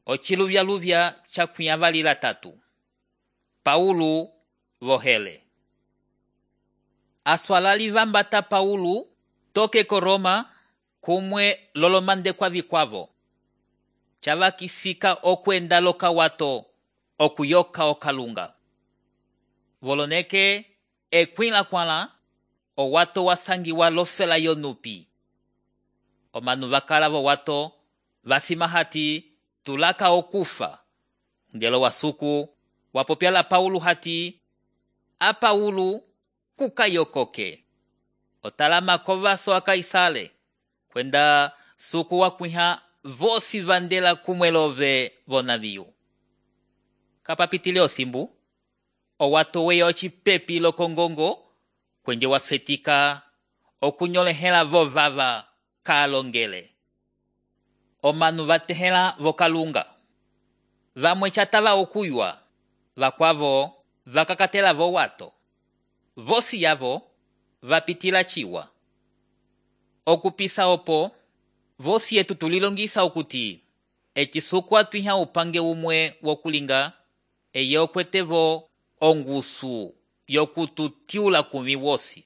Ociluvyaluvya cakwĩavalila tatu. Paulo vohele. Aswalali vambata Paulo toke ko Roma kumwe lolomandekwa vikwavo. Cavakisika okwenda lokawato okuyoka okalunga. Voloneke ekwĩlakwãla owato wasangiwa lofela yonupi. Omanu vakala vowato vasima hati tulaka okufa. Ndelo wasuku wapopyala Paulo hati a Paulo kukayokoke. Otalama kovaso a Kaisale kwenda suku wakwĩha vosi vandela kumwelove vonaviu. Kapapitile osimbu owato weya ocipepi lokongongo kwenje wafetika okunyolehela vovava kaalongele. Omanu vatehela vokalunga. Vamwe catava okuywa, vakwavo vakakatela vowato. Vosi yavo vapitila ciwa. Okupisa opo, vosi yetu tulilongisa okuti ecisuku atwĩha upange umwe wokulinga eye okwetevo ongusu yokututiula kumi wosi.